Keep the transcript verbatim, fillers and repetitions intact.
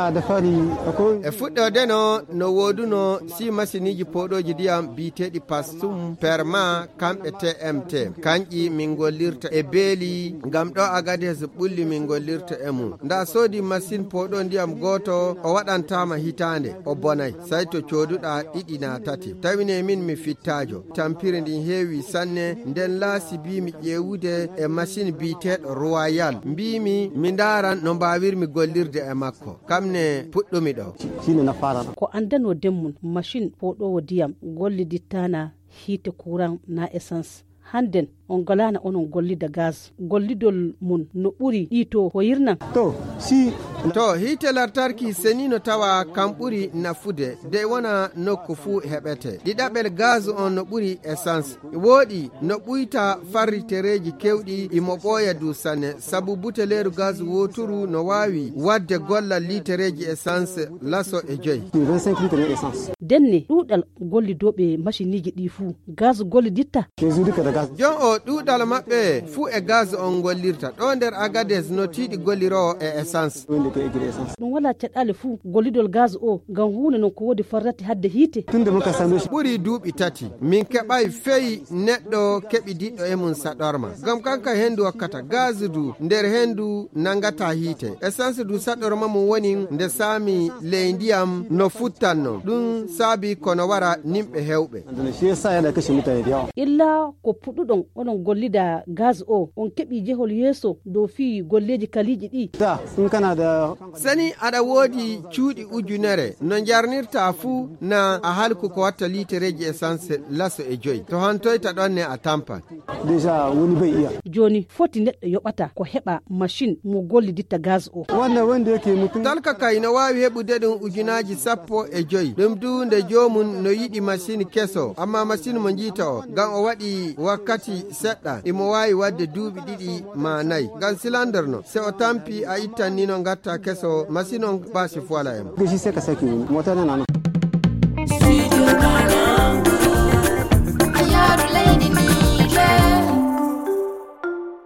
E fuɗɗoode no, no wooduno si masiniiji pooɗooji ndiyam biyeteeɗi Pastum, Perma, kamɓe T M T. Kanƴi min ngollirta e beeli, ngam ɗo Agades ɓulli min ngollirta e mum. Nda soodi masin pooɗo ndiyam gooto, o waɗantaama hitaande, o bonay. Say to cooduɗa ɗiɗi na tati. Tawine min mi fittaajo. Tampiri ndin heewi sanne, nden laasi mbiimi ƴeewude e masin biyeteeɗo Royal. Mbiimi mi ndaaran no mbaawirmi gollirde e makko. Kam ne puɗɗumi ɗo. Ko anndano den mum, machin pooɗoowo ndiyam gollidittaana hiite kuran na essence. Hannden on ngalaana onon gollida gaz. Gollidol mum no ɓuri ɗi to hoyirnan. To, si. To, hiite lartarki seni no tawa kam ɓuri nafude, dey wona nokku fuu heɓete. Ɗiɗaɓel gaz on no ɓuri essence. Wooɗi no ɓuyta farritereeji kewɗi, imo ɓooya du sanne, sabu buteleeru gaz wooturu no waawi waɗde gollal liitereeji essence laso e joy. Denne ɗuuɗal gollidooɓe maciniiji ɗi fuu, gaz golliditta. Jon o ɗuuɗal maɓɓe fuu e gaz on gollirta. Ɗo nder Agades no tiiɗi golliroowo e essence. Ɗum walaa caɗaale fuu gollidol gaz o ngam huunde non ko woodi farrati hadde hiite. Ɓuri duuɓi tati. Min keɓay fey neɗɗo keɓidiɗɗo e mum saɗorma. Ngam kanka hendu hokkata gaz du nder hendu nangata hiite. Essence du saɗorma mum woni nde saami ley ndiyam no futtanno. Ɗum saabi kono wara nimɓe hewɓe. Illa ko puɗɗuɗon onon gollida gaz o, on keɓi jehol yeeso dow fii golleeji kaliiji ɗi. Sani aɗa woodi cuuɗi ujunere, no njarnirta fuu na a halku ko watta liitereeji essence laso e joy. To hantoyta ɗon ne a tampan. Déjà, woni bai iya. Jooni foti neɗɗo yoɓata ko heɓa machine mo golliditta gaz o. Talka kay no waawi heɓude ɗum ujunaaji sappo e joy. Ɗum du nde joomum no yiɗi machine keso, amma machine mo njiita o, ngam o waɗi wakkati seɗɗa, imo waawi waɗde duuɓi ɗiɗi ma nayi. Ngam silander no, se o tampi a ittan ni no ngatta keso, machine on basi fuwala e mo.